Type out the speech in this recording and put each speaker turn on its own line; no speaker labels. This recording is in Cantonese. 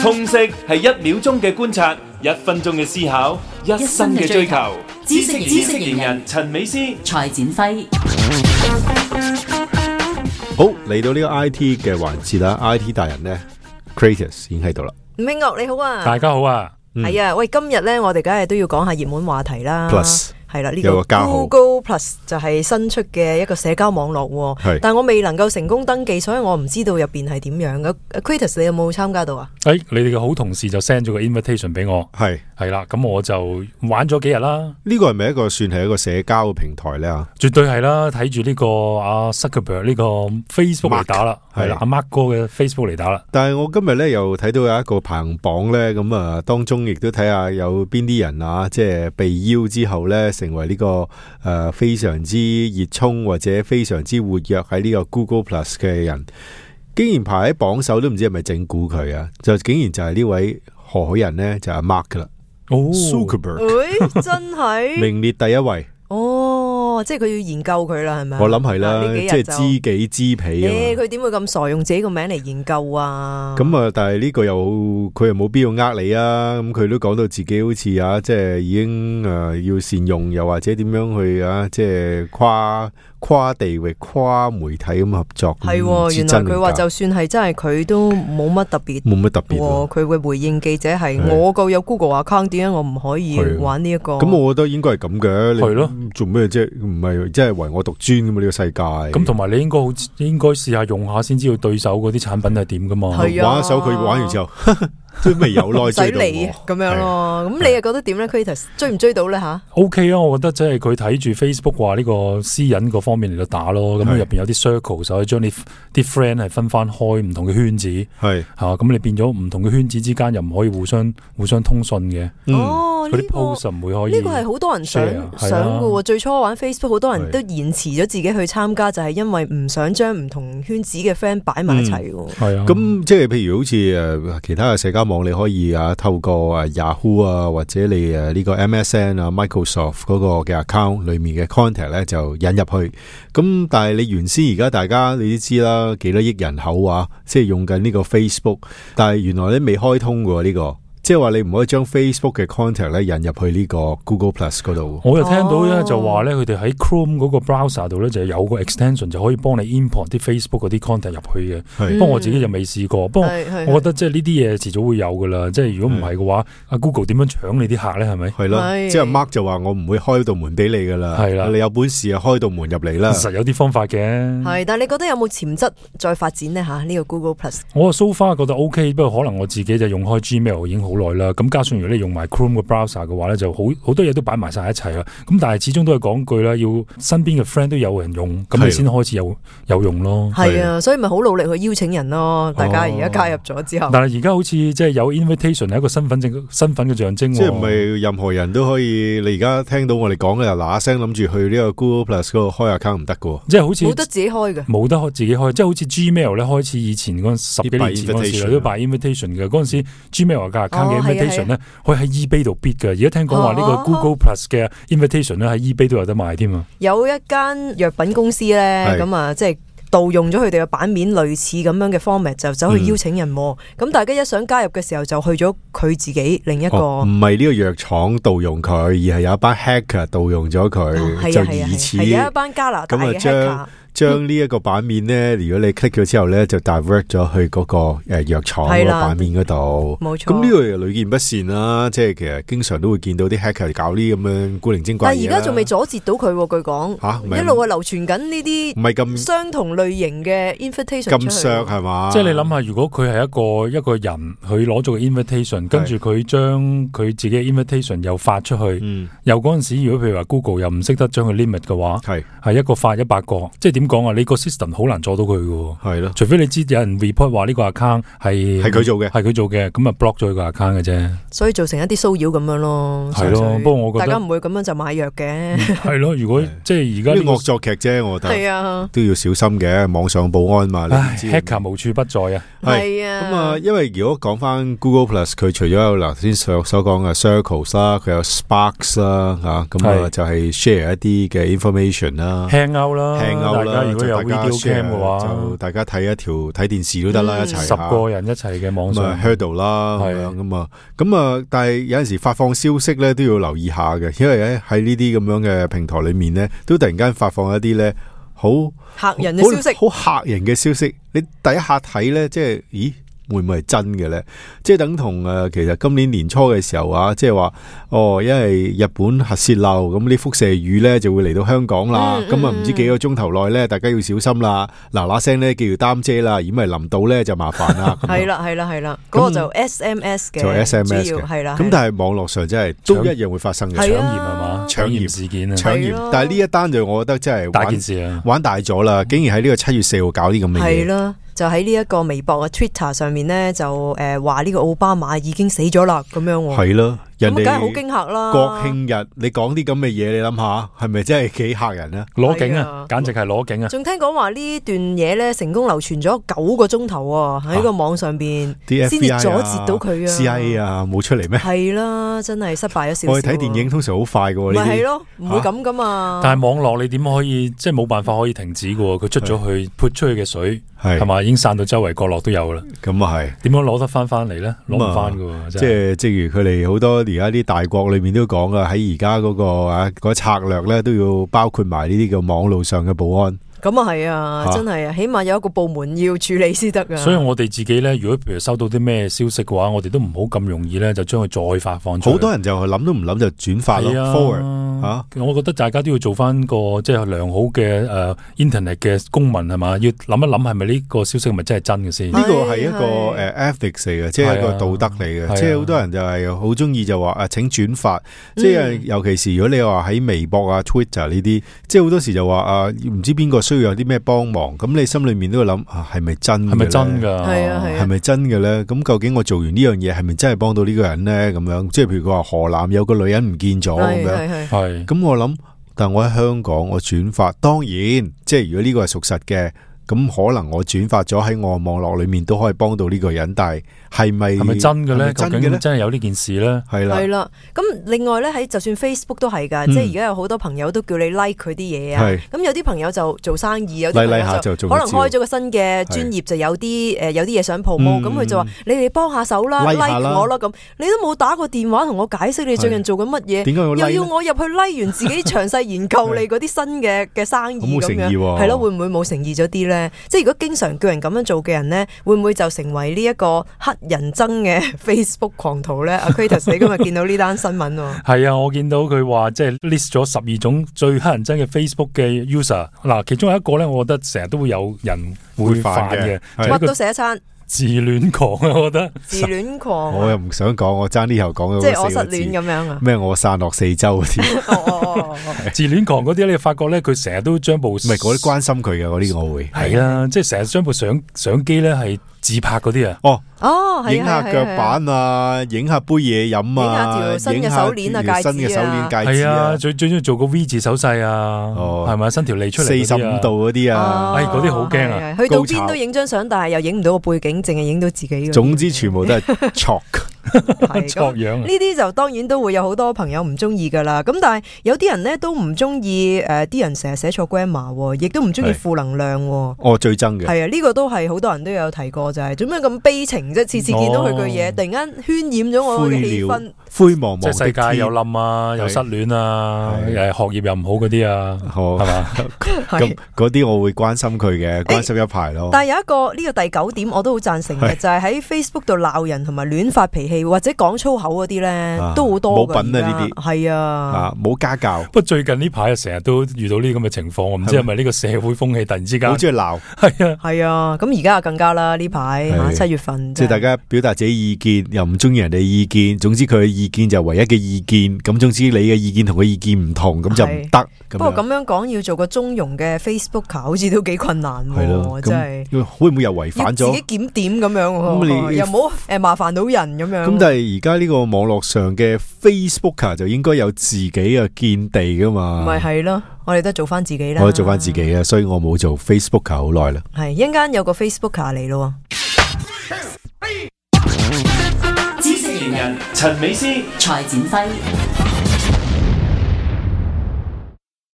通識係1秒鐘嘅觀察，1分鐘嘅思考，一生嘅追求。知識型人陳美詩、
蔡展輝。
好，嚟到呢個 IT 嘅環節啦 ，IT 大人呢 Kratos 已經喺度啦。
吳慶岳你好啊，
大家好啊，
係啊，喂，今日咧我哋梗係都要講下熱門話題啦。
Plus
係啦，呢
有個加號
Google Plus 就係新出嘅一個社交網絡，
係
但我未能夠成功登記，所以我唔知道入邊係點樣嘅。Kratos 你有冇參加到啊？
你哋嘅好同事就 send 咗個 invitation 俾我，係啦，咁我就玩咗幾日啦。
呢個係咪算係一個社交嘅平台呢？
絕對係啦，睇住呢個阿 Zuckerberg 呢個 Facebook 嚟打啦，係啦，阿 Mark 哥嘅 Facebook 嚟打啦。
但係我今日咧又睇到有一個排行榜咧，咁啊當中亦都睇下有邊啲人啊，即係被邀之後咧，成為呢個非常之熱衷或者非常之活躍喺呢個 Google Plus 嘅人，竟然排喺榜首，都唔知係咪整蠱佢啊？就竟然就係呢位何許人呢，就係 Mark 噶啦，Zuckerberg，
真係
名列第一位。
即係佢要研究佢啦，係咪？
我諗係啦，即係知己知彼啊！
佢點會咁傻用自己個名嚟研究啊？
咁啊，但係呢個佢又冇必要呃你啊！咁佢都講到自己好似啊，即係已經要善用，又或者點樣去啊，即係跨地域、跨媒體咁合作。
係，原來佢話就算係真係佢都冇乜特別，佢會回應記者係我個有 Google account， 點解我唔可以玩呢一個？
咁我覺得應該係咁嘅，
係咯，
做咩啫？唔係即係唯我獨尊咁嘛？呢個世界咁，
同埋你應該試下用下先知道對手嗰啲產品係點噶嘛？
係啊，
玩一手佢玩完之後。都未有耐追到
我咁樣咯，咁你又覺得點咧 Kratos 追唔追到咧吓
？OK 啊，我覺得即係佢睇住 Facebook 話呢個私隱嗰方面嚟到打咯，咁入邊有啲 circle 就可以將你啲 friend 係分翻開唔同嘅圈子，係吓咁你變咗唔同嘅圈子之間又唔可以互相通訊嘅。嗰啲 post 唔會可以。
呢個係好多人想嘅，最初玩 Facebook 好多人都延遲咗自己去參加，就係因為唔想將唔同圈子嘅 friend 擺埋一齊。
係啊，咁即係譬如好似其他嘅社交網你可以透過Yahoo 啊，或者你呢個 MSN 啊 Microsoft 嗰個嘅 account 裏面嘅 contact 咧就引入去。咁但係你原先而家大家你都知啦，幾多億人口啊，即係用緊呢個 Facebook， 但係原來你未開通嘅呢個。即係話你唔可以將 Facebook 嘅 contact 咧引入去呢個 Google Plus 嗰度。我又聽到咧就話咧，佢哋喺 Chrome 嗰個 browser 度咧就有個 extension 就可以幫你 import 啲 Facebook 嗰啲 contact 入去嘅。不過我自己就未試過。不過我覺得即係呢啲嘢遲早會有噶啦。即係如果唔係嘅話，阿 Google 點樣搶你啲客咧？係咪？係咯。即係 Mark 就話我唔會開道門俾你噶啦。係啦，你有本事啊開道門入嚟啦。實有啲方法嘅。
係，但係你覺得有冇潛質再發展呢？吓？呢個 Google Plus？
我 so far 覺得 OK， 不過可能我自己就用開 Gmail 已經好耐啦。咁加上如果你用埋 Chrome 嘅 browser 嘅話咧，就好多嘢都擺埋晒一齊啦。咁但係始終都係講句啦，要身邊嘅 friend 都有人用，咁你先開始有用咯。係啊，
所以咪好努力去邀請人咯。大家而家加入咗之後，
但係而家好似即係有 invitation 係一個身份嘅象徵。即係唔係
任何人都可以？你而家聽到我哋講嘅就嗱嗱聲諗住去呢個 Google Plus 嗰度開 account 唔得㗎？即係好似
冇得自己開嘅，
冇得自己開。即係好似 Gmail 咧，開始以前嗰10幾年前嗰陣時都擺 invitation 嘅。嗰陣時 Gmail 嘅 account 嘅 invitation 咧。可以喺 eBay 度 bid 嘅，而家聽講話呢個 Google Plus 嘅 invitation 咧喺 eBay 都有得賣添啊！
有一間藥品公司咧，咁啊，即係盜用咗佢哋嘅版面，類似咁樣嘅 format 就走去邀請人。咁大家一想加入嘅時候，就去咗佢自己另一個。唔係呢個藥廠盜用佢，而係有一班 hacker 盜用咗佢，就疑似有一班加拿大嘅 hacker。將呢一個版面咧，如果你 click 咗之後咧，就 divert 咗去嗰個藥廠嗰個版面嗰度。冇錯。咁呢個又屢見不鮮啦，即係其實經常都會見到啲 hacker 搞呢咁樣古靈精怪嘢。但係而家仲未阻截到佢，據講一路係流傳緊呢啲唔係咁相同類型嘅 invitation 咁削係嘛？
即係你諗下，如果佢係一個人，佢攞咗個 invitation， 跟住佢將佢自己嘅 invitation 又發出去，又嗰陣時如果譬如話 Google 又唔識得將佢 limit 嘅話，係一個發100個，即係點講啊？你個 system 好難阻到佢嘅，係咯，除非你知有人 report 話呢個 account 係佢做嘅，咁啊 block 咗佢個 account 嘅啫。所以造成一啲騷擾咁樣咯，係咯。不過我覺得大家唔會咁樣就買藥嘅，係咯。如果即係而家呢個惡作劇啫，我覺得係啊，都要小心嘅。網上保安嘛，hacker 無處不在啊，係啊。咁啊，因為如果講翻 Google Plus， 佢除咗有頭先所講嘅 Circles 啦，佢有 Sparks 啦，吓咁啊就係 share 一啲嘅 information 啦，Hangout 啦，家如果有 video cam 嘅話，
就大家睇電視都得啦，一齊
10個人一齊嘅網上
hurdle 啦，咁啊，但係有陣時發放消息咧都要留意下嘅，因為咧喺呢啲咁樣嘅平台裏面咧，都突然間發放一啲咧好
嚇人嘅消息，
好嚇人嘅消息，你第一下睇咧，即係咦？會唔會係真嘅咧？即係等同其實今年年初嘅時候啊，即係話因為日本核泄漏，咁啲輻射雨咧就會嚟到香港啦。咁啊唔知幾個鐘頭內咧，大家要小心啦，嗱聲咧記住擔遮啦，如果唔係淋到咧就麻煩啦。
係啦，嗰個就 SMS 嘅，
就 SMS 嘅，
係啦。
咁但係網絡上真係都一樣會發生嘅
搶鹽係嘛？搶鹽事件啊，
搶鹽。但係呢一單就我覺得真係
大件事啊，玩
大咗啦！竟然喺呢個7月4號搞啲咁嘅嘢。
係啦。就喺呢一個微博嘅 Twitter 上面咧，就話呢個奧巴馬已經死咗啦，咁樣喎。
係咯，人哋
梗係好驚嚇啦！
國慶日你講啲咁嘅嘢，你諗下係咪真係幾嚇人啊？
攞景啊，簡直係攞景啊！
仲聽講話呢段嘢咧，成功流傳咗9個鐘頭喎，喺個網上邊先至阻截到佢啊
CIA 啊，冇出嚟咩？
係啦，真係失敗咗少少。
我哋睇電影通常好快㗎喎，
咪係咯，唔會咁噶嘛。
但係網絡你點可以即係冇辦法可以停止㗎喎？佢出咗去潑出去嘅水係嘛，已經散到周圍角落都有啦。
咁啊係，
點樣攞得翻嚟咧？攞唔翻㗎喎，
即係正如佢哋好多而家啲大國裏面都講啊，喺而家嗰個策略咧都要包括埋呢啲叫網路上嘅保安。
咁啊係啊，真係啊，起碼有一個部門要處理先得噶。
所以我哋自己咧，如果譬如收到啲咩消息嘅話，我哋都唔好咁容易咧，就將佢再發放出去。
好多人就諗都唔諗就轉發咯 ，forward
我覺得大家都要做翻個即係良好嘅internet 嘅公民係嘛，要諗一諗係咪呢個消息係咪真係真嘅先？
呢個係一個ethics 嚟嘅，即係一個道德嚟嘅。即係好多人就係好中意就話請轉發，即係尤其是如果你話喺微博啊、Twitter 呢啲，即係好多時就話唔知邊個需要有啲咩幫忙，咁你心裏面都會諗係咪真嘅？係
咪真噶？
係咪真嘅咧？咁究竟我做完呢樣嘢係咪真係幫到呢個人咧？咁樣即係譬如佢話河南有個女人唔見咗咁樣，係咁我諗，但我喺香港我轉發，當然即係如果呢個係屬實嘅，咁可能我轉發咗喺我網絡裏面都可以幫到呢個人，但係係咪
真嘅咧？究竟真係有呢件事咧？
係啦，
咁另外咧喺就算 Facebook 都係噶，即係而家有好多朋友都叫你 like 佢啲嘢啊。咁有啲朋友就做生意，有啲朋友就可能開咗個新嘅專頁，就有啲嘢想 promote，咁佢就話你哋幫下手啦 ，like 我啦咁。你都冇打個電話同我解釋你最近做緊乜嘢，又要我入去 like 完自己詳細研究你嗰啲新嘅生意咁樣，係咯，會唔會冇誠意咗啲咧？即係如果經常叫人咁樣做嘅人咧，會唔會就成為呢一個黑人憎嘅 Facebook 狂徒咧？阿 Kratos 你今日見到呢單新聞喎？係
啊，我見到佢話即係 list 咗12種最黑人憎嘅 Facebook 嘅 user。嗱，其中有一個咧，我覺得成日都會有人會犯嘅，
乜都寫一餐。
自戀狂啊，我覺得
自戀狂，
我又唔想講，我爭啲又講咗，
即係我失戀咁樣啊？
咩？我散落四周嗰
啲，自戀狂嗰啲你發覺咧，佢成日都將部唔
係嗰啲關心佢嘅嗰啲，我會
係啊，即係成日將部相機咧係自拍嗰啲啊。
影下腳板啊，影下杯嘢飲啊，
影下條新嘅手鏈啊，
新嘅手鏈戒指
啊，最中意做個 V 字手勢啊，係咪伸條脷出嚟
45度嗰啲啊，
嗰啲好驚啊！
去到邊都影張相，但係又影唔到個背景，淨係影到自己。
總之全部都係 chalk。
呢啲就當然都會有好多朋友唔中意噶啦，咁但係有啲人咧都唔中意啲人成日寫錯 grammar， 亦都唔中意負能量。
我最憎嘅
係啊，呢個都係好多人都有提過，就係做咩咁悲情啫？次次見到佢句嘢，突然間渲染咗我嘅氣氛，
灰茫茫，
即係世界又冧啊，又失戀啊，學業又唔好嗰啲啊，係嘛？
咁嗰啲我會關心佢嘅，關心一排咯。
但係有一個呢個第9點我都好贊成嘅，就係喺 Facebook 度鬧人同埋亂發脾氣或者講粗口嗰啲咧，都好多
冇品啊！呢啲
係啊，
冇家教。
不過最近呢排成日都遇到呢啲咁嘅情況，我唔知係咪呢個社會風氣突然之間
好中意鬧。
係啊，咁而家更加啦，呢排7月份，
即係大家表達自己意見，又唔中意人哋意見，總之佢嘅意見就唯一嘅意見。咁總之你嘅意見同佢意見唔同，咁就唔得。
不過咁樣講，要做個中庸嘅 Facebooker，好似都幾困難。係咯，真係
會唔會又違反咗？
自己檢點咁樣，又唔好麻煩到人咁樣。
咁但係而家呢個網絡上嘅 Facebooker 就應該有自己嘅見地噶嘛？
咪係咯，我哋都做翻自己啦。
我做翻自己啊，所以我冇做 Facebooker 好耐啦。
係一陣間有個 Facebooker 嚟咯。
知識型人陳美詩、
蔡展輝。